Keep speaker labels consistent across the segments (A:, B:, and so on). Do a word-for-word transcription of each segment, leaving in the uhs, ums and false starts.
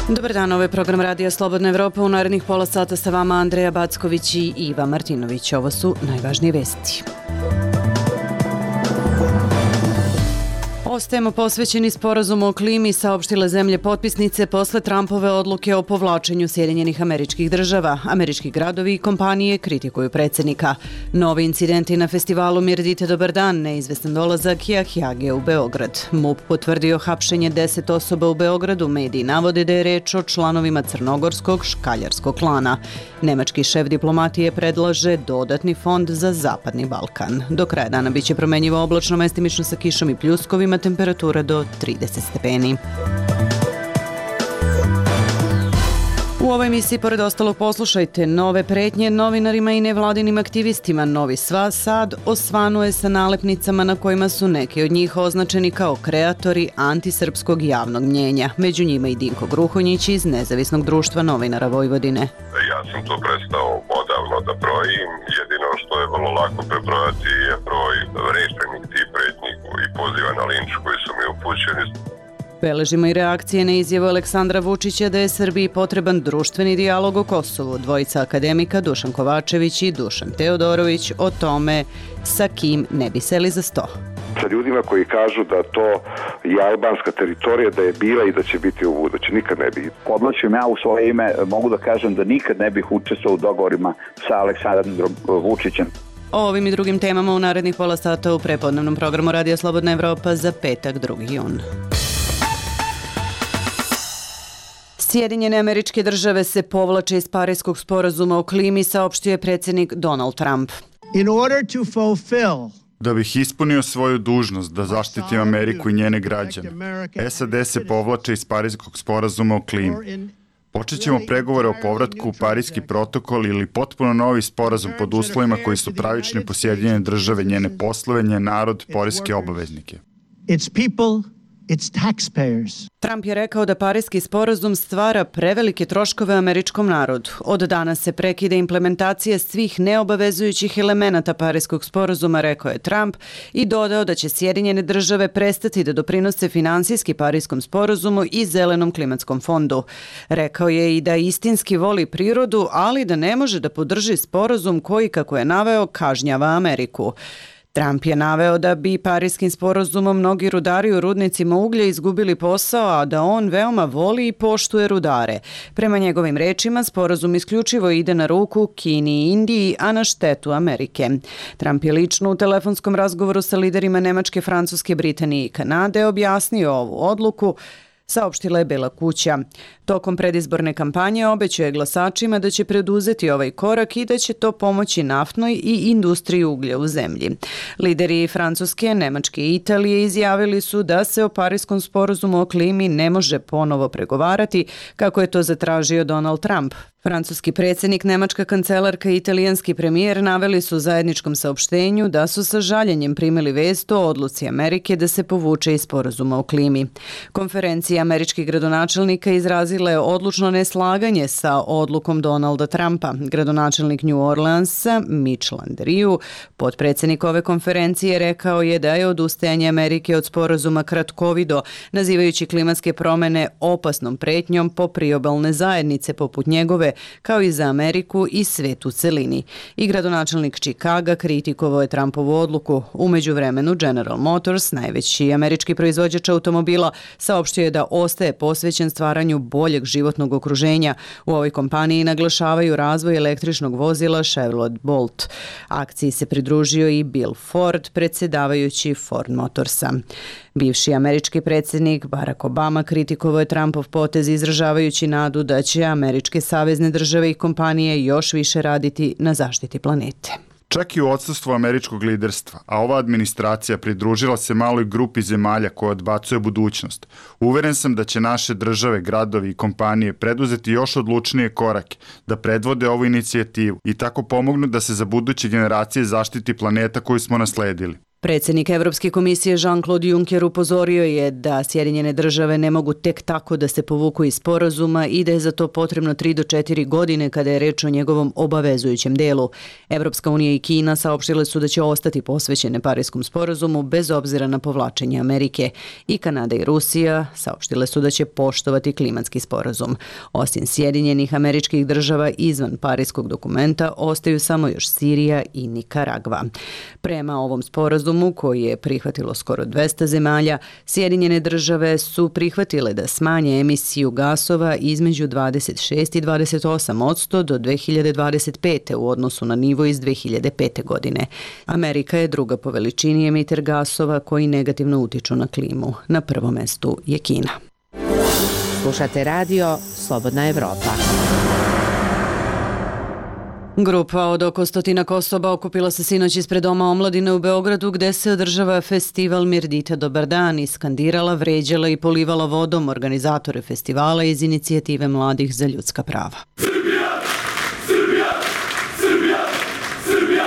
A: Dobar dan, ovo je program Radija Slobodna Evropa. U narednih pola sata sa vama Andreja Backović i Iva Martinović. Ovo su najvažnije vesti. Ostajemo posvećeni sporazumu o klimi, saopštile zemlje potpisnice posle Trumpove odluke o povlačenju Sjedinjenih Američkih Država. Američki gradovi i kompanije kritikuju predsjednika. Novi incidenti na festivalu Mirdite dobar dan, neizvestan dolazak Jahjage u Beograd. MUP potvrdio hapšenje deset osoba u Beogradu, mediji navode da je reč o članovima crnogorskog škaljarskog klana. Nemački šef diplomatije predlaže dodatni fond za Zapadni Balkan. Do kraja dana biće promenjivo oblačno, mestimično sa kišom i pljuskovima, temperatura do trideset stepeni. U ovoj emisiji, pored ostalog, poslušajte nove pretnje novinarima i nevladinim aktivistima. Novi Sva Sad osvanuje sa nalepnicama na kojima su neki od njih označeni kao kreatori antisrpskog javnog mnjenja. Među njima i Dinko Gruhonjić iz Nezavisnog društva novinara Vojvodine.
B: Ja sam to prestao odavno da brojim. Jedino što je vrlo lako prebrojati je broj rečenih tih pretnji i poziva na linč koji su mi upućeni.
A: Beležimo i reakcije na izjavu Aleksandra Vučića da je Srbiji potreban društveni dijalog o Kosovu. Dvojica akademika, Dušan Kovačević i Dušan Teodorović, o tome sa kim ne bi seli za sto.
C: Sa ljudima koji kažu da to je albanska teritorija, da je bila i da će biti u buduće. Nikad ne bi.
D: Odlačim ja u svoje ime, mogu da kažem da nikad ne bih učestvovao u dogovorima sa Aleksandrom Vučićem.
A: O ovim i drugim temama u narednih pola sata u prepodnevnom programu Radija Slobodna Evropa za petak, drugi jun. Sjedinjene Američke Države se povlače iz Pariskog sporazuma o klimi, saopštio je predsjednik Donald Trump.
E: In order to fulfill
F: Da bih ispunio svoju dužnost da zaštitim Ameriku i njene građane, S A D se povlače iz Pariskog sporazuma o klimi. Počet ćemo pregovore o povratku u Pariski protokol ili potpuno novi sporazum pod uslovima koji su pravični po Sjedinjene Države, njene poslove, njen narod, poreske obaveznike.
E: its people, its taxpayers.
A: Trump je rekao da Pariski sporazum stvara prevelike troškove američkom narodu. Od danas se prekida implementacija svih neobavezujućih elemenata Pariskog sporazuma, rekao je Trump, i dodao da će Sjedinjene Države prestati da doprinose finansijski Pariskom sporazumu i Zelenom klimatskom fondu. Rekao je i da istinski voli prirodu, ali da ne može da podrži sporazum koji, kako je naveo, kažnjava Ameriku. Trump je naveo da bi Pariskim sporazumom mnogi rudari u rudnicima uglja izgubili posao, a da on veoma voli i poštuje rudare. Prema njegovim rečima, sporazum isključivo ide na ruku Kini i Indiji, a na štetu Amerike. Trump je lično u telefonskom razgovoru sa liderima Nemačke, Francuske, Britanije i Kanade objasnio ovu odluku, saopštila je Bela kuća. Tokom predizborne kampanje obećao glasačima da će preduzeti ovaj korak i da će to pomoći naftnoj i industriji uglja u zemlji. Lideri Francuske, Nemačke i Italije izjavili su da se o Pariskom sporazumu o klimi ne može ponovo pregovarati, kako je to zatražio Donald Trump. Francuski predsjednik, nemačka kancelarka i italijanski premijer naveli su u zajedničkom saopštenju da su sa žaljenjem primili vest o odluci Amerike da se povuče iz sporazuma o klimi. Konferencija američkih gradonačelnika izrazila je odlučno neslaganje sa odlukom Donalda Trumpa. Gradonačelnik New Orleansa, Mitch Landrieu, potpredsjednik ove konferencije, rekao je da je odustajanje Amerike od sporazuma kratkovido, nazivajući klimatske promjene opasnom pretnjom po priobalne zajednice poput njegove, kao i za Ameriku i svet u celini. I gradonačelnik Čikaga kritikovao je Trumpovu odluku. U međuvremenu General Motors, najveći američki proizvođač automobila, saopštio je da ostaje posvećen stvaranju boljeg životnog okruženja. U ovoj kompaniji naglašavaju razvoj električnog vozila Chevrolet Bolt. Akciji se pridružio i Bill Ford, predsjedavajući Ford Motorsa. Bivši američki predsjednik Barack Obama kritikovao je Trumpov potez, izražavajući nadu da će američke savezne države i kompanije još više raditi na zaštiti planete.
F: Čak i u odsustvu američkog liderstva, a ova administracija pridružila se maloj grupi zemalja koja odbacuje budućnost. Uveren sam da će naše države, gradovi i kompanije preduzeti još odlučnije korake, da predvode ovu inicijativu i tako pomognu da se za buduće generacije zaštiti planeta koju smo nasledili.
A: Predsjednik Evropske komisije Jean-Claude Juncker upozorio je da Sjedinjene države ne mogu tek tako da se povuku iz sporazuma i da je za to potrebno tri do četiri godine kada je reč o njegovom obavezujućem delu. Evropska unija i Kina saopštile su da će ostati posvećene Pariskom sporazumu bez obzira na povlačenje Amerike. I Kanada i Rusija saopštile su da će poštovati klimatski sporazum. Osim Sjedinjenih američkih država izvan Pariskog dokumenta ostaju samo još Sirija i Nikaragva. Prema ovom sporazumu koji je prihvatilo skoro dvesta zemalja, Sjedinjene države su prihvatile da smanje emisiju gasova između dvadeset šest i dvadeset osam posto do dve hiljade dvadeset pete. u odnosu na nivo iz dve hiljade pete. godine. Amerika je druga po veličini emiter gasova koji negativno utiču na klimu. Na prvom mestu je Kina.
G: Slušate radio Slobodna Evropa.
A: Grupa od oko stotinak osoba okupila se sinoć ispred Doma omladine u Beogradu gde se održava festival Mirdita Dobar dan i skandirala, vređala i polivala vodom organizatore festivala iz inicijative Mladih za ljudska prava. Srbija! Srbija! Srbija! Srbija!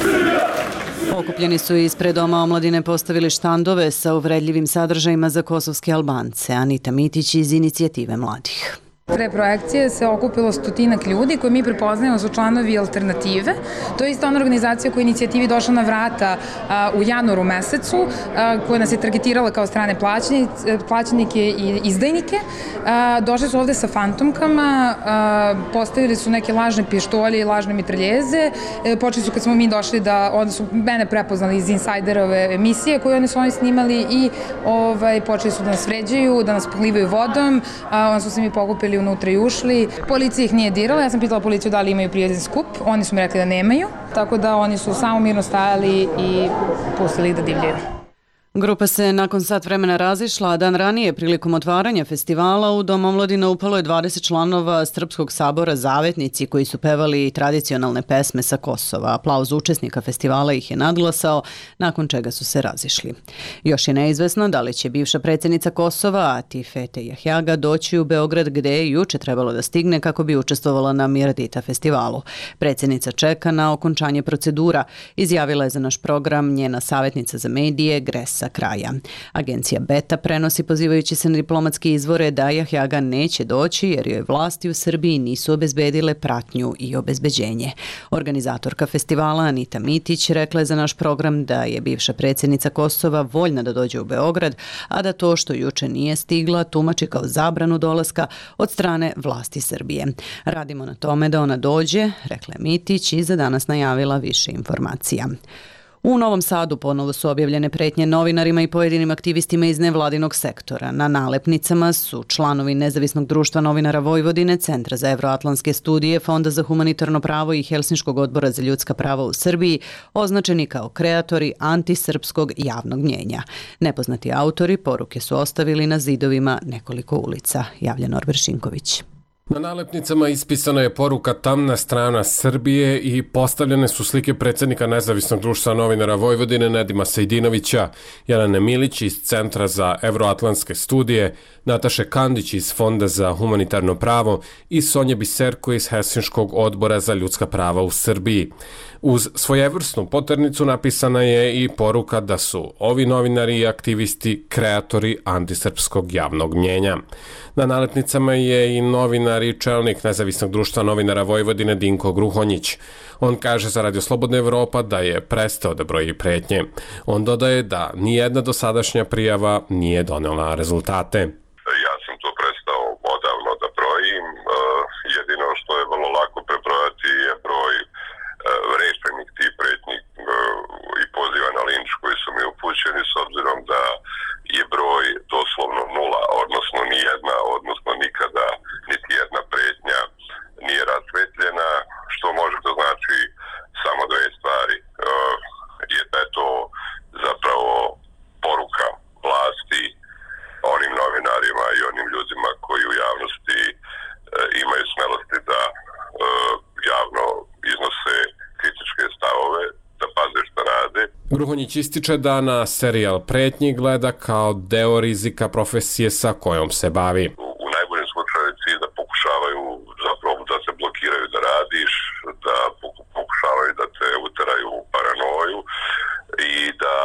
A: Srbija! Okupljeni su ispred Doma omladine postavili štandove sa uvredljivim sadržajima za kosovske Albance. Anita Mitić iz inicijative Mladih.
H: Pre projekcije se okupilo stotinak ljudi koje mi prepoznajemo su članovi Alternative. To je isto ona organizacija koja je inicijativi došla na vrata a, u januaru mesecu, a, koja nas je targetirala kao strane plaćenike i izdajnike. A, došli su ovde sa fantomkama, a, postavili su neke lažne pištolje i lažne mitraljeze. E, počeli su kad smo mi došli da, onda su mene prepoznali iz Insajderove emisije koje oni su oni snimali i ovaj, počeli su da nas vređaju, da nas pohlivaju vodom, a, onda su se mi pokupili unutra i ušli. Policija ih nije dirala, ja sam pitala policiju da li imaju prijavljen skup, oni su mi rekli da nemaju, tako da oni su samo mirno stajali i pustili ih da divljaju.
A: Grupa se nakon sat vremena razišla, a dan ranije prilikom otvaranja festivala u Dom omladine upalo je dvadeset članova Srpskog sabora Zavetnici koji su pevali tradicionalne pesme sa Kosova. Aplauz učesnika festivala ih je nadglasao, nakon čega su se razišli. Još je neizvesno da li će bivša predsjednica Kosova, Atifete Jahjaga, doći u Beograd gde je juče trebalo da stigne kako bi učestvovala na Mirdita festivalu. Predsjednica čeka na okončanje procedura, izjavila je za naš program njena savjetnica za medije Gresa kraja. Agencija Beta prenosi pozivajući se na diplomatske izvore da Jahjaga neće doći jer joj vlasti u Srbiji nisu obezbedile pratnju i obezbeđenje. Organizatorka festivala Anita Mitić rekla je za naš program da je bivša predsjednica Kosova voljna da dođe u Beograd, a da to što juče nije stigla tumači kao zabranu dolaska od strane vlasti Srbije. Radimo na tome da ona dođe, rekla je Mitić i za danas najavila više informacija. U Novom Sadu ponovo su objavljene pretnje novinarima i pojedinim aktivistima iz nevladinog sektora. Na nalepnicama su članovi Nezavisnog društva novinara Vojvodine, Centra za evroatlantske studije, Fonda za humanitarno pravo i Helsinškog odbora za ljudska prava u Srbiji označeni kao kreatori antisrpskog javnog mnjenja. Nepoznati autori poruke su ostavili na zidovima nekoliko ulica, javlja Norbert Šinković.
I: Na nalepnicama ispisana je poruka Tamna strana Srbije i postavljene su slike predsjednika Nezavisnog društva novinara Vojvodine Nedima Sejdinovića, Jelene Milić iz Centra za evroatlantske studije, Nataše Kandić iz Fonda za humanitarno pravo i Sonje Biserko iz Helsinškog odbora za ljudska prava u Srbiji. Uz svojevrsnu poternicu napisana je i poruka da su ovi novinari i aktivisti kreatori antisrpskog javnog mnjenja. Na nalepnicama je i novinar i čelnik Nezavisnog društva novinara Vojvodine Dinko Gruhonjić. On kaže za Radio Slobodna Evropa da je prestao da broji pretnje. On dodaje da nijedna dosadašnja prijava nije donela rezultate.
B: Ja sam to prestao odavno da brojim. Jedino što je vrlo lako prebrojati je broj rešenih tih pretnji i poziva na linč koji su mi upućeni, s obzirom da je broj doslovno nula, odnosno nijedna, odnosno nikada niti jedna pretnja nije rasvetljena, što može da znači samo dve stvari. Je da je to zapravo poruka vlasti onim novinarima i onim ljudima koji u javnosti imaju smelosti da javno iznose kritičke stavove, da paze šta rade.
I: Gruhonjić ističe da na serijal pretnji gleda kao deo rizika profesije sa kojom se bavi.
B: U najboljem slučaju cilj da pokušavaju zapravo da se blokiraju da radiš, da pokušavaju da te uteraju u paranoju i da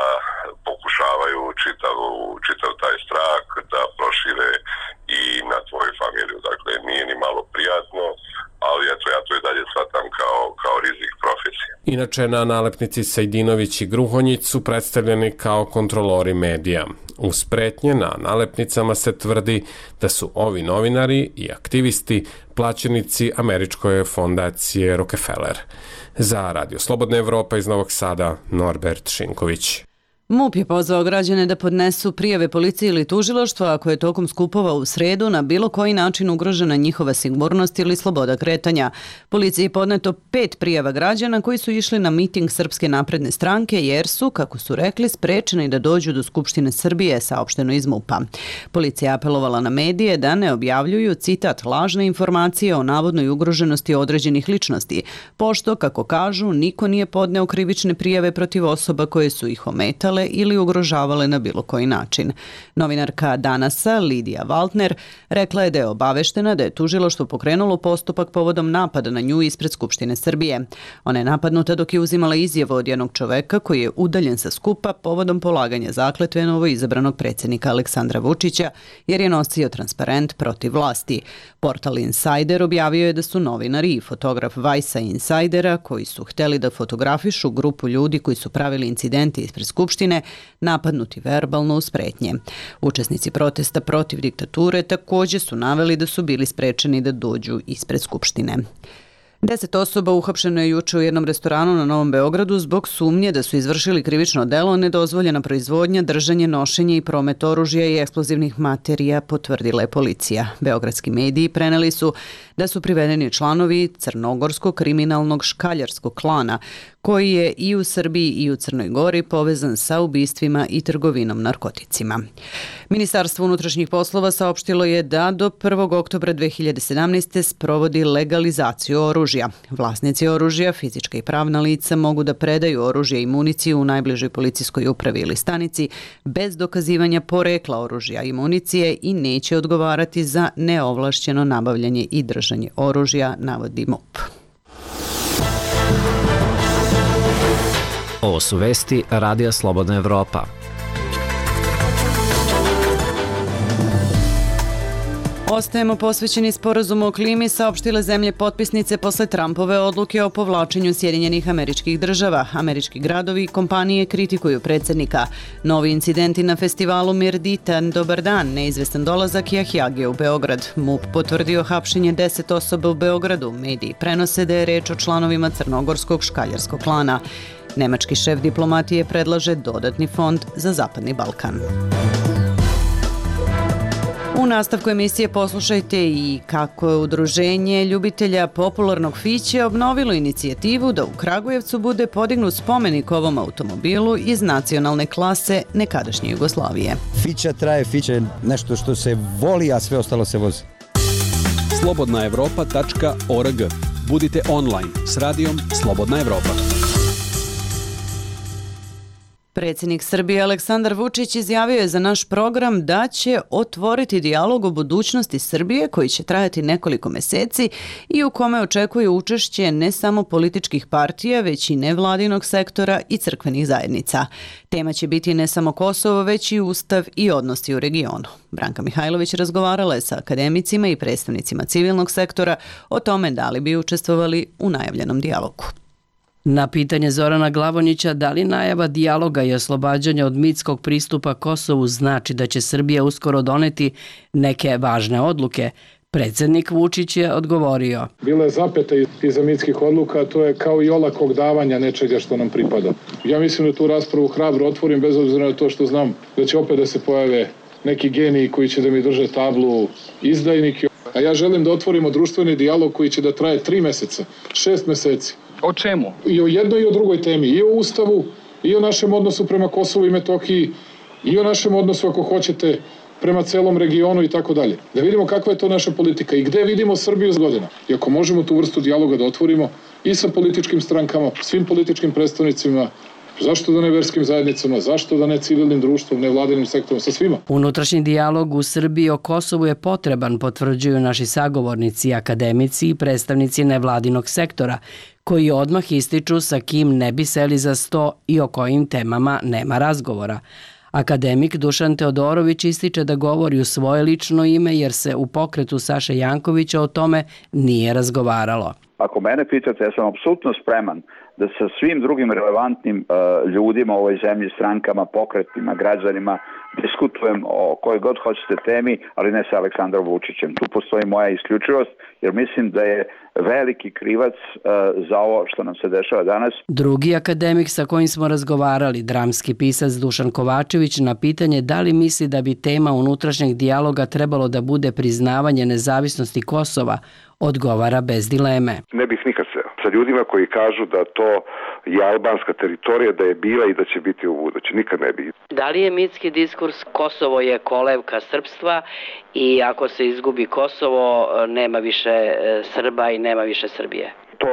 I: Inače, na nalepnici Sejdinović i Gruhonjić su predstavljeni kao kontrolori medija. Uz pretnje na nalepnicama se tvrdi da su ovi novinari i aktivisti plaćenici američke fondacije Rockefeller. Za Radio Slobodna Evropa iz Novog Sada, Norbert Šinković.
A: MUP je pozvao građane da podnesu prijave policiji ili tužilaštvu ako je tokom skupova u sredu na bilo koji način ugrožena njihova sigurnost ili sloboda kretanja. Policiji je podneto pet prijava građana koji su išli na miting Srpske napredne stranke jer su, kako su rekli, sprečeni da dođu do Skupštine Srbije, saopšteno iz MUP-a. Policija je apelovala na medije da ne objavljuju, citat, lažne informacije o navodnoj ugroženosti određenih ličnosti, pošto, kako kažu, niko nije podneo krivične prijave protiv osoba koje su ih ometale ili ugrožavale na bilo koji način. Novinarka Danasa, Lidija Valtner, rekla je da je obaveštena da je tužilaštvo pokrenulo postupak povodom napada na nju ispred Skupštine Srbije. Ona je napadnuta dok je uzimala izjavu od jednog čoveka koji je udaljen sa skupa povodom polaganja zakletve novoizabranog predsjednika Aleksandra Vučića jer je nosio transparent protiv vlasti. Portal Insider objavio je da su novinari i fotograf Vajsa Insidera koji su hteli da fotografišu grupu ljudi koji su pravili incidente ispred Skupštine napadnuti verbalno uz pretnje. Učesnici protesta protiv diktature također su naveli da su bili sprečeni da dođu ispred Skupštine. Deset osoba uhapšeno je juče u jednom restoranu na Novom Beogradu zbog sumnje da su izvršili krivično delo nedozvoljena proizvodnja, držanje, nošenje i promet oružja i eksplozivnih materija, potvrdila je policija. Beogradski mediji preneli su da su privedeni članovi crnogorskog kriminalnog škaljarskog klana, koji je i u Srbiji i u Crnoj Gori povezan sa ubistvima i trgovinom narkoticima. Ministarstvo unutrašnjih poslova saopštilo je da do prvog oktobra dve hiljade sedamnaeste. sprovodi legalizaciju oružja. Vlasnici oružja, fizička i pravna lica, mogu da predaju oružje i municiju u najbližoj policijskoj upravi ili stanici bez dokazivanja porekla oružja i municije i neće odgovarati za neovlašćeno nabavljanje i držanje oružja, navodi MUP.
J: Ovo su vesti Radija Slobodna Evropa.
A: Ostajemo posvećeni sporazumu o klimi, saopštile zemlje potpisnice posle Trumpove odluke o povlačenju Sjedinjenih Američkih Država. Američki gradovi i kompanije kritikuju predsjednika. Novi incidenti na festivalu Mirditan, dobar dan, neizvestan dolazak Jahjagije u Beograd. MUP potvrdio hapšenje deset osoba u Beogradu. Mediji prenose da je reč o članovima crnogorskog škaljarskog klana. Nemački šef diplomatije predlaže dodatni fond za Zapadni Balkan. U nastavku emisije poslušajte i kako je udruženje ljubitelja popularnog fiće obnovilo inicijativu da u Kragujevcu bude podignut spomenik ovom automobilu iz nacionalne klase nekadašnje Jugoslavije.
K: Fića traje, fića je nešto što se voli, a sve ostalo se vozi.
L: slobodna evropa tačka org. Budite online s radijom Slobodna Evropa.
A: Predsjednik Srbije Aleksandar Vučić izjavio je za naš program da će otvoriti dijalog o budućnosti Srbije koji će trajati nekoliko meseci i u kome očekuje učešće ne samo političkih partija, već i nevladinog sektora i crkvenih zajednica. Tema će biti ne samo Kosovo, već i Ustav i odnosi u regionu. Branka Mihajlović razgovarala je sa akademicima i predstavnicima civilnog sektora o tome da li bi učestvovali u najavljenom dijalogu.
M: Na pitanje Zorana Glavonjića da li najava dijaloga i oslobađanja od mitskog pristupa Kosovu znači da će Srbija uskoro doneti neke važne odluke, predsjednik Vučić je odgovorio.
N: Bila je zapeta iza mitskih odluka, to je kao i olakog davanja nečega što nam pripada. Ja mislim da tu raspravu hrabro otvorim bez obzira na to što znam da će opet da se pojave neki geniji koji će da mi drže tablu izdajnike. A ja želim da otvorimo društveni dijalog koji će da traje tri meseca, šest meseci.
O: O čemu?
N: I o jednoj i o drugoj temi, i o Ustavu, i o našem odnosu prema Kosovu i Metohiji, i o našem odnosu, ako hoćete, prema celom regionu i tako dalje. Da vidimo kakva je to naša politika i gde vidimo Srbiju za godina. I ako možemo tu vrstu dijaloga da otvorimo i sa političkim strankama, svim političkim predstavnicima, zašto da ne verskim zajednicama, zašto da ne civilnim društvom, ne vladinim sektorom, sa svima.
M: Unutrašnji dijalog u Srbiji o Kosovu je potreban, potvrđuju naši sagovornici, akademici i predstavnici nevladinog sektora, koji odmah ističu sa kim ne bi seli za sto i o kojim temama nema razgovora. Akademik Dušan Teodorović ističe da govori u svoje lično ime jer se u pokretu Saše Jankovića o tome nije razgovaralo.
D: Ako mene pitate, ja sam apsolutno spreman da sa svim drugim relevantnim uh, ljudima u ovoj zemlji, strankama, pokretima, građanima, diskutujem o kojoj god hoćete temi, ali ne sa Aleksandrom Vučićem. Tu postoji moja isključivost, jer mislim da je veliki krivac uh, za ovo što nam se dešava danas.
M: Drugi akademik sa kojim smo razgovarali, dramski pisac Dušan Kovačević, na pitanje da li misli da bi tema unutrašnjeg dijaloga trebalo da bude priznavanje nezavisnosti Kosova, odgovara bez dileme.
C: Ne bih nikad se sa ljudima koji kažu da to je albanska teritorija, da je bila i da će biti u buduće. Nikad ne bih.
M: Da li je mitski diskurs Kosovo je kolevka srpstva i ako se izgubi Kosovo nema više Srba i nema više Srbije?
C: To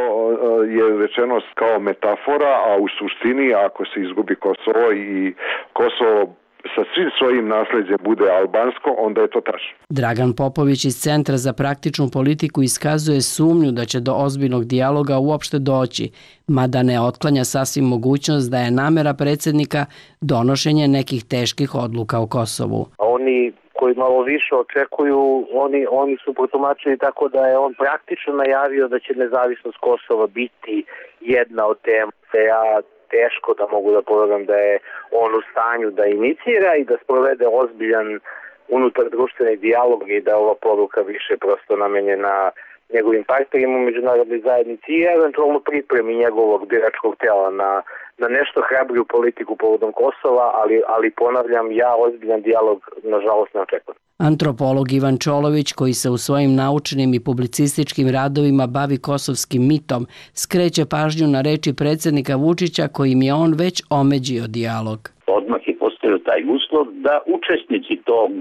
C: je rečeno kao metafora, a u suštini ako se izgubi Kosovo i Kosovo sa svim svojim nasleđem bude albansko, onda je to tačno.
M: Dragan Popović iz Centra za praktičnu politiku iskazuje sumnju da će do ozbiljnog dijaloga uopšte doći, mada ne otklanja sasvim mogućnost da je namera predsjednika donošenje nekih teških odluka o Kosovu.
O: Oni koji malo više očekuju, oni, oni su protumačili tako da je on praktično najavio da će nezavisnost Kosova biti jedna od tema. Ja teško da mogu da povedam da je on u stanju da inicira i da sprovede ozbiljan unutar društveni dijalog i da ova poruka više prosto namenjena njegovim partnerima u međunarodnoj zajednici i eventualno pripremi njegovog biračkog tela na, na nešto hrabriju politiku povodom Kosova, ali, ali ponavljam, ja ozbiljan dijalog nažalost ne očekujem.
M: Antropolog Ivan Čolović, koji se u svojim naučnim i publicističkim radovima bavi kosovskim mitom, skreće pažnju na reči predsjednika Vučića kojim je on već omeđio dijalog.
P: Odmah je postavio taj uslov da učesnici tog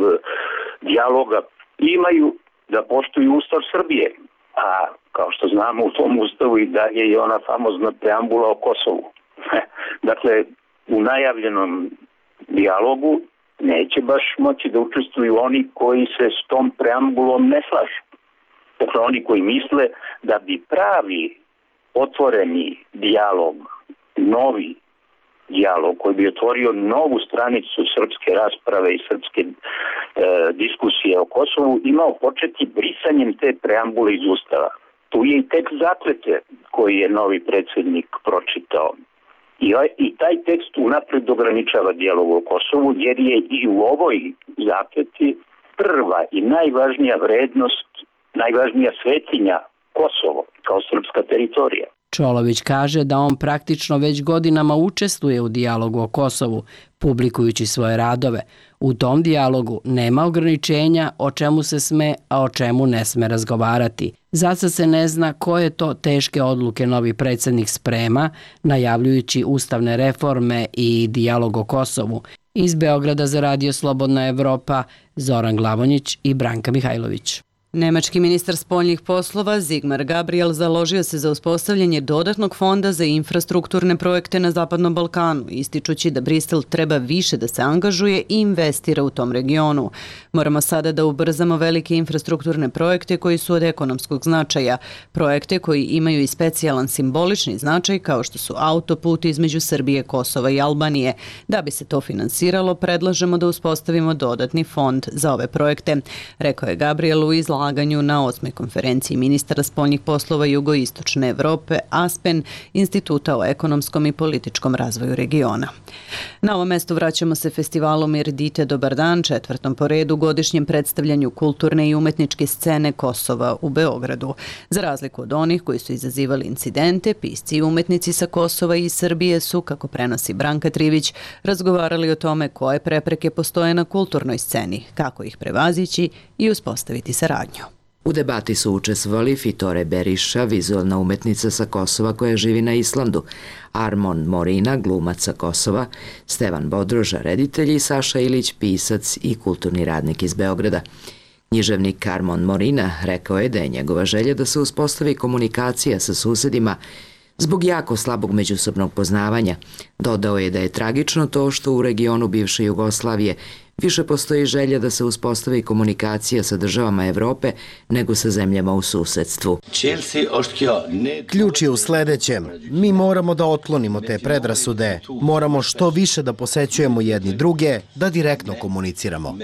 P: dijaloga imaju da poštuju Ustav Srbije, a kao što znamo u tom Ustavu i dalje je ona famozna preambula o Kosovu. Dakle, u najavljenom dijalogu neće baš moći da učestvuju oni koji se s tom preambulom ne slažu. Dakle, oni koji misle da bi pravi otvoreni dijalog, novi dijalog koji bi otvorio novu stranicu srpske rasprave i srpske e, diskusije o Kosovu imao početi brisanjem te preambule iz Ustava. Tu je i tekst zakletve koji je novi predsjednik pročitao. I, I taj tekst unapred ograničava dijalog o Kosovu jer je i u ovoj zakletvi prva i najvažnija vrednost, najvažnija svetinja Kosovo kao srpska teritorija.
M: Čolović kaže da on praktično već godinama učestvuje u dijalogu o Kosovu, publikujući svoje radove. U tom dijalogu nema ograničenja o čemu se sme, a o čemu ne sme razgovarati. Zasad se ne zna koje to teške odluke novi predsjednik sprema, najavljujući ustavne reforme i dijalog o Kosovu. Iz Beograda za Radio Slobodna Evropa, Zoran Glavonjić i Branka Mihajlović.
A: Nemački ministar spoljnih poslova Sigmar Gabriel založio se za uspostavljanje dodatnog fonda za infrastrukturne projekte na Zapadnom Balkanu, ističući da Brisel treba više da se angažuje i investira u tom regionu. Moramo sada da ubrzamo velike infrastrukturne projekte koji su od ekonomskog značaja, projekte koji imaju i specijalan simbolični značaj kao što su autoput između Srbije, Kosova i Albanije. Da bi se to finansiralo, predlažemo da uspostavimo dodatni fond za ove projekte, rekao je Gabriel u izlaganju na osmoj konferenciji ministara spoljnih poslova Jugoistočne Evrope ASPEN, Instituta o ekonomskom i političkom razvoju regiona. Na ovo mesto vraćamo se festivalu Mirdite Dobar dan, četvrtom po redu godišnjem predstavljanju kulturne i umetničke scene Kosova u Beogradu. Za razliku od onih koji su izazivali incidente, pisci i umetnici sa Kosova i Srbije su, kako prenosi Branka Trivić, razgovarali o tome koje prepreke postoje na kulturnoj sceni, kako ih prevazići i uspostaviti saradnju.
Q: U debati su učestvovali Fitore Beriša, vizualna umetnica sa Kosova koja živi na Islandu, Armon Morina, glumac sa Kosova, Stevan Bodroža, reditelj i Saša Ilić, pisac i kulturni radnik iz Beograda. Književnik Armon Morina rekao je da je njegova želja da se uspostavi komunikacija sa susedima zbog jako slabog međusobnog poznavanja. Dodao je da je tragično to što u regionu bivše Jugoslavije više postoji želja da se uspostavi komunikacija sa državama Evrope nego sa zemljama u susedstvu.
R: Ključ je u sledećem. Mi moramo da otklonimo te predrasude. Moramo što više da posećujemo jedni druge, da direktno komuniciramo.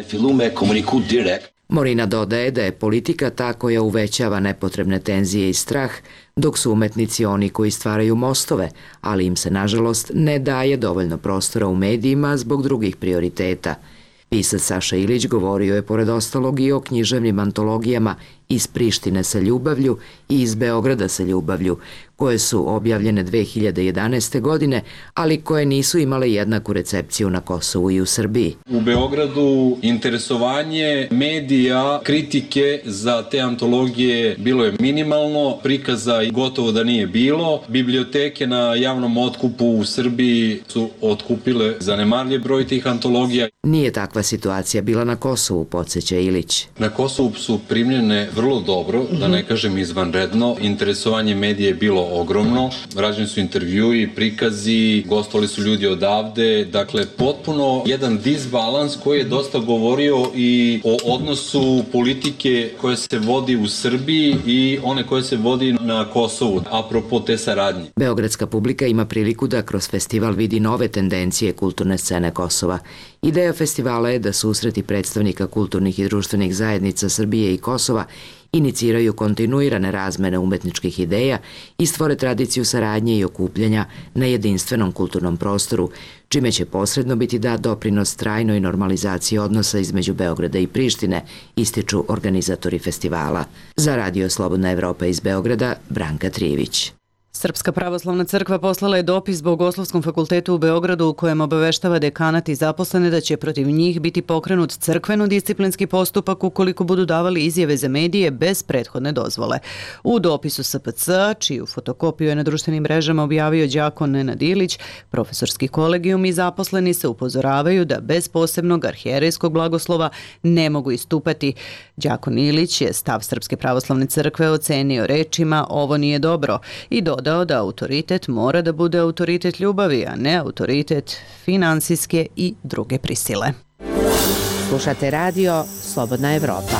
Q: Morina dodaje da je politika ta koja uvećava nepotrebne tenzije i strah, dok su umetnici oni koji stvaraju mostove, ali im se nažalost ne daje dovoljno prostora u medijima zbog drugih prioriteta. Pisac Saša Ilić govorio je pored ostalog i o književnim antologijama Iz Prištine sa ljubavlju i Iz Beograda sa ljubavlju, koje su objavljene dve hiljade jedanaeste. godine, ali koje nisu imale jednaku recepciju na Kosovu i u Srbiji.
S: U Beogradu interesovanje medija, kritike za te antologije bilo je minimalno, prikaza gotovo da nije bilo. Biblioteke na javnom otkupu u Srbiji su otkupile zanemarljiv broj tih antologija.
Q: Nije takva situacija bila na Kosovu, podsjeća Ilić.
S: Na Kosovu su primljene vrlo dobro, da ne kažem izvanredno. Interesovanje medije je bilo ogromno. Rađeni su intervjui, prikazi, gostovali su ljudi odavde. Dakle, potpuno jedan disbalans koji je dosta govorio i o odnosu politike koja se vodi u Srbiji i one koje se vodi na Kosovu, apropo te saradnje.
Q: Beogradska publika ima priliku da kroz festival vidi nove tendencije kulturne scene Kosova. Ideja festivala je da susreti predstavnika kulturnih i društvenih zajednica Srbije i Kosova iniciraju kontinuirane razmene umetničkih ideja i stvore tradiciju saradnje i okupljanja na jedinstvenom kulturnom prostoru, čime će posredno biti dat doprinos trajnoj normalizaciji odnosa između Beograda i Prištine, ističu organizatori festivala. Za Radio Slobodna Evropa iz Beograda, Branka Trijević.
A: Srpska pravoslavna crkva poslala je dopis Bogoslovskom fakultetu u Beogradu u kojem obaveštava dekanat i zaposlene da će protiv njih biti pokrenut crkveno-disciplinski postupak ukoliko budu davali izjave za medije bez prethodne dozvole. U dopisu S P C, čiju fotokopiju je na društvenim mrežama objavio đakon Nenad Ilić, profesorski kolegijum i zaposleni se upozoravaju da bez posebnog arhijerejskog blagoslova ne mogu istupati. Đakon Ilić je stav Srpske pravoslavne crkve ocenio rečima "ovo nije dobro" i dodao da autoritet mora da bude autoritet ljubavi, a ne autoritet finansijske i druge prisile.
G: Slušate radio Slobodna Evropa.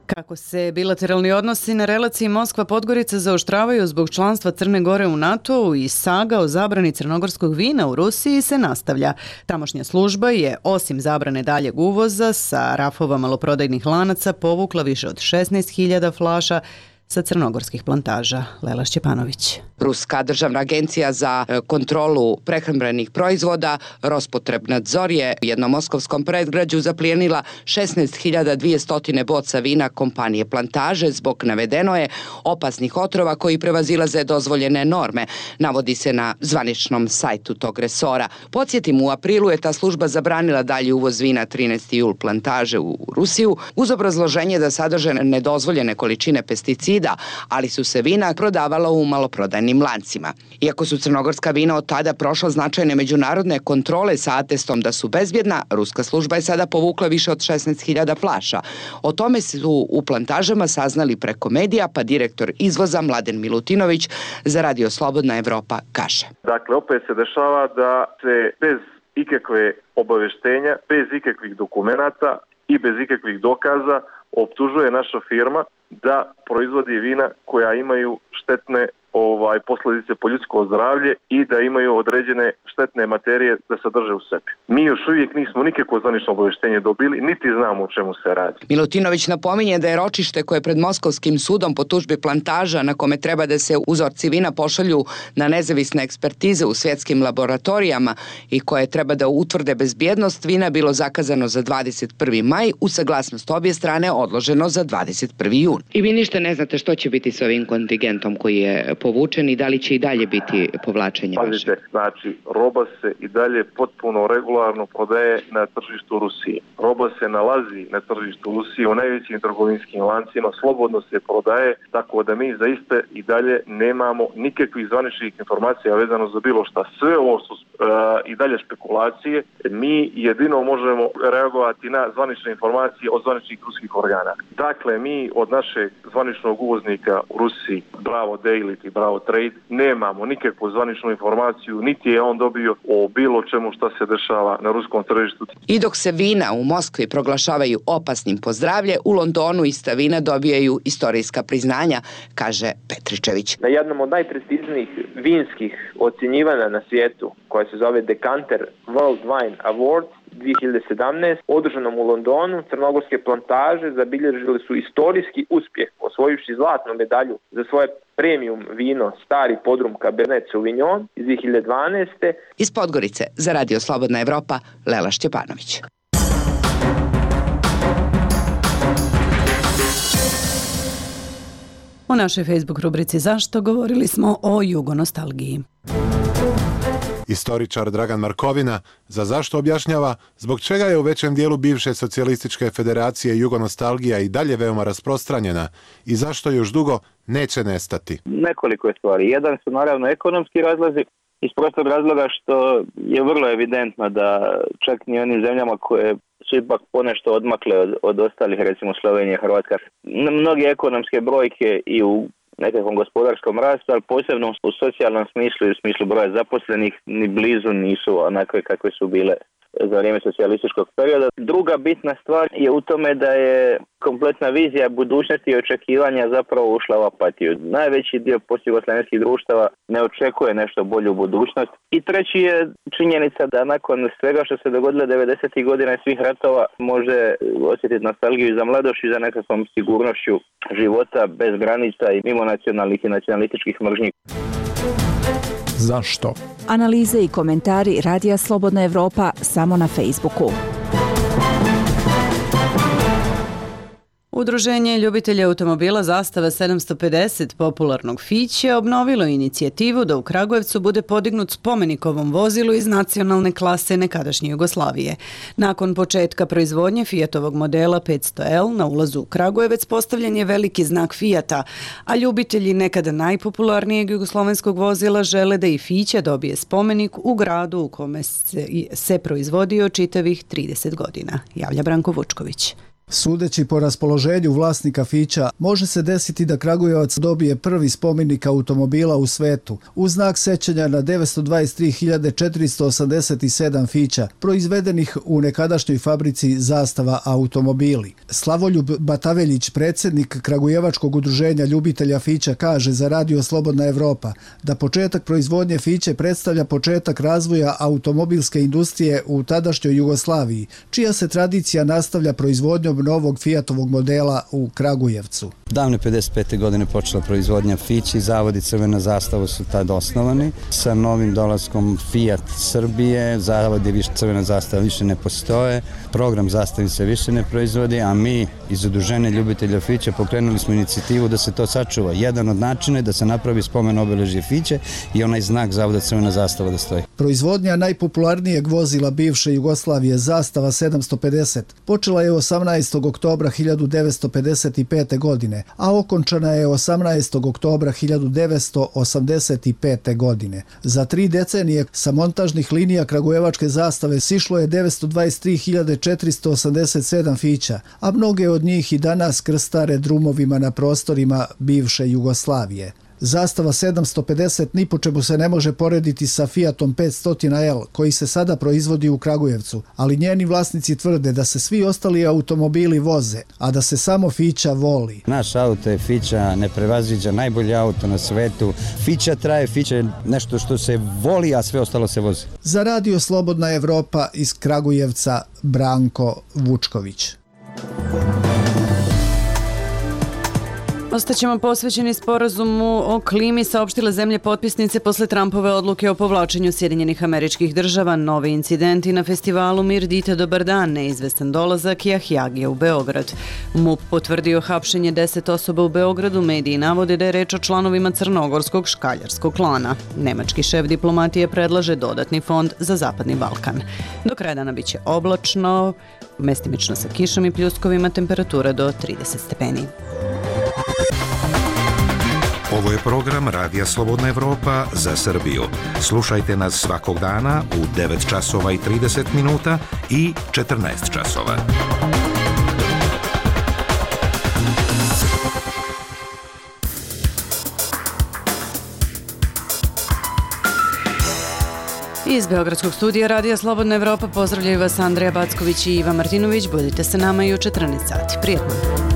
A: Kako se bilateralni odnosi na relaciji Moskva-Podgorica zaoštravaju zbog članstva Crne Gore u NATO-u i saga o zabrani crnogorskog vina u Rusiji se nastavlja. Tamošnja služba je, osim zabrane daljeg uvoza, sa rafova maloprodajnih lanaca povukla više od šesnaest hiljada flaša sa crnogorskih plantaža. Lela Šćepanović.
T: Ruska državna agencija za kontrolu prehrambenih proizvoda Rospotrebnadzor je u jednom moskovskom predgrađu zaplijenila šesnaest hiljada dvesta boca vina kompanije Plantaže zbog, navedeno je, opasnih otrova koji prevazilaze dozvoljene norme, navodi se na zvaničnom sajtu tog resora. Podsjetim, u aprilu je ta služba zabranila dalji uvoz vina trinaesti jul Plantaže u Rusiju uz obrazloženje da sadrže nedozvoljene količine pesticida, ali su se vina prodavala u maloprodajnim lancima. Iako su crnogorska vina od tada prošla značajne međunarodne kontrole sa atestom da su bezbjedna, ruska služba je sada povukla više od šesnaest hiljada flaša. O tome su u Plantažama saznali preko medija, pa direktor izvoza Mladen Milutinović za Radio Slobodna Evropa kaže.
U: Dakle, opet se dešava da se bez ikakve obaveštenja, bez ikakvih dokumenata i bez ikakvih dokaza optužuje naša firma da proizvodi vina koja imaju štetne ovaj posljedice po ljudsko zdravlje i da imaju određene štetne materije da sadrže u sebi. Mi još uvijek nismo nikakvo zvanično obavještenje dobili, niti znamo o čemu se radi.
T: Milutinović napominje da je ročište koje pred Moskovskim sudom po tužbi Plantaža, na kome treba da se uzorci vina pošalju na nezavisne ekspertize u svjetskim laboratorijama i koje treba da utvrde bezbjednost vina, bilo zakazano za dvadeset prvi maj, u saglasnost obje strane odloženo za dvadeset prvi jun. I vi ništa ne znate što će biti s ovim kontingentom koji je povučen i da li će i dalje biti povlačenje vaše?
U: Pazite, znači, roba se i dalje potpuno regularno prodaje na tržištu Rusije. Roba se nalazi na tržištu Rusije u najvećim trgovinskim lancima, slobodno se prodaje, tako da mi zaista i dalje nemamo nikakvih zvaničnih informacija vezano za bilo šta. Sve ovo što i dalje spekulacije. Mi jedino možemo reagovati na zvanične informacije od zvaničnih ruskih organa. Dakle, mi od našeg zvaničnog uvoznika u Rusiji, Bravo Daily i Bravo Trade, nemamo nikakvu zvaničnu informaciju, niti je on dobio o bilo čemu šta se dešava na ruskom tržištu.
T: I dok se vina u Moskvi proglašavaju opasnim po zdravlje, u Londonu ista vina dobijaju istorijska priznanja, kaže Petričević.
E: Na jednom od najprestižnijih vinskih ocjenjivanja na svijetu, koja se zove Decanter World Wine Award dvije hiljade sedamnaeste. održanom u Londonu, crnogorske plantaže zabilježili su istorijski uspjeh, osvojivši zlatnu medalju za svoje premium vino Stari podrum Cabernet Sauvignon iz dvije hiljade dvanaeste.
T: Iz Podgorice za Radio Slobodna Evropa, Lela Šćepanović.
A: U našoj Facebook rubrici Zašto govorili smo o jugonostalgiji.
V: Istoričar Dragan Markovina za Zašto objašnjava zbog čega je u većem dijelu bivše socijalističke federacije jugonostalgija i dalje veoma rasprostranjena i zašto još dugo neće nestati.
D: Nekoliko je stvari. Jedan su naravno ekonomski razlozi, iz prostog razloga što je vrlo evidentno da čak ni onim zemljama koje su ipak ponešto odmakle od, od ostalih, recimo Slovenija, Hrvatska, mnoge ekonomske brojke i u nekakvom gospodarskom rastu, ali posebno u socijalnom smislu i u smislu broja zaposlenih ni blizu nisu onakve kakve su bile za vrijeme socijalističkog perioda. Druga bitna stvar je u tome da je kompletna vizija budućnosti i očekivanja zapravo ušla u apatiju. Najveći dio postjugoslavenskih društava ne očekuje nešto bolju budućnost. I treći je činjenica da nakon svega što se dogodilo devedesetih godina i svih ratova može osjetiti nostalgiju za mladošću i za nekakvom sigurnošću života bez granica i mimo nacionalnih i nacionalističkih mržnji.
W: Zašto?
X: Analize i komentari Radija Slobodna Evropa samo na Facebooku.
A: Udruženje ljubitelja automobila Zastava sedamsto pedeset popularnog Fiće obnovilo inicijativu da u Kragujevcu bude podignut spomenik ovom vozilu iz nacionalne klase nekadašnje Jugoslavije. Nakon početka proizvodnje Fiatovog modela petsto L na ulazu u Kragujevac postavljen je veliki znak Fiata, a ljubitelji nekada najpopularnijeg jugoslovenskog vozila žele da i Fića dobije spomenik u gradu u kome se, se proizvodio čitavih trideset godina, javlja Branko Vučković.
W: Sudeći po raspoloženju vlasnika Fića, može se desiti da Kragujevac dobije prvi spomenik automobila u svetu, u znak sećanja na devetsto dvadeset tri hiljade četiristo osamdeset sedam Fića, proizvedenih u nekadašnjoj fabrici Zastava automobili. Slavoljub Bataveljić, predsjednik Kragujevačkog udruženja ljubitelja Fića, kaže za Radio Slobodna Evropa da početak proizvodnje Fiće predstavlja početak razvoja automobilske industrije u tadašnjoj Jugoslaviji, čija se tradicija nastavlja proizvodnjom novog Fiatovog modela u Kragujevcu.
K: Davne pedeset pete godine počela proizvodnja Fići, zavodi Crvena zastava su tad osnovani. Sa novim dolaskom Fiat Srbije, zavodi više, Crvena zastava više ne postoje, program zastavi se više ne proizvodi, a mi iz udruženja ljubitelja Fića pokrenuli smo inicijativu da se to sačuva. Jedan od načina je da se napravi spomen obeležje Fiće i onaj znak zavoda Crvena zastava da stoji.
W: Proizvodnja najpopularnijeg vozila bivše Jugoslavije Zastava sedamsto pedeset počela je osamnaestog oktobra hiljadu devetsto pedeset pete godine, a okončana je osamnaestog oktobra hiljadu devetsto osamdeset pete godine. Za tri decenije sa montažnih linija Kragujevačke zastave sišlo je devetsto dvadeset tri hiljade četiristo osamdeset sedam Fića, a mnoge od njih i danas krstare drumovima na prostorima bivše Jugoslavije. Zastava sedamsto pedeset ni po čemu se ne može porediti sa Fiatom petsto L koji se sada proizvodi u Kragujevcu, ali njeni vlasnici tvrde da se svi ostali automobili voze, a da se samo Fića voli.
K: Naš auto je Fića, neprevaziđa, najbolji auto na svetu. Fića traje, Fića je nešto što se voli, a sve ostalo se vozi.
W: Za Radio Slobodna Evropa iz Kragujevca, Branko Vučković.
A: Ostaćemo posvećeni sporazumu o klimi, saopštile zemlje potpisnice posle Trumpove odluke o povlačenju Sjedinjenih Američkih Država. Novi incidenti na festivalu Mir dite dobar dan, neizvestan dolazak Jahjagija u Beograd. M U P potvrdio hapšenje deset osoba u Beogradu, mediji navode da je reč o članovima crnogorskog škaljarskog klana. Nemački šef diplomatije predlaže dodatni fond za Zapadni Balkan. Do kraja dana biće oblačno, mestimično sa kišom i pljuskovima, temperatura do trideset stepeni.
B: Ovo je program Radija Slobodna Evropa za Srbiju. Slušajte nas svakog dana u devet časova i trideset minuta i četrnaest časova.
A: Iz Beogradskog studija Radija Slobodna Evropa pozdravljaju vas Andreja Backović i Iva Martinović. Budite sa nama i u četrnaest sati. Prijetno.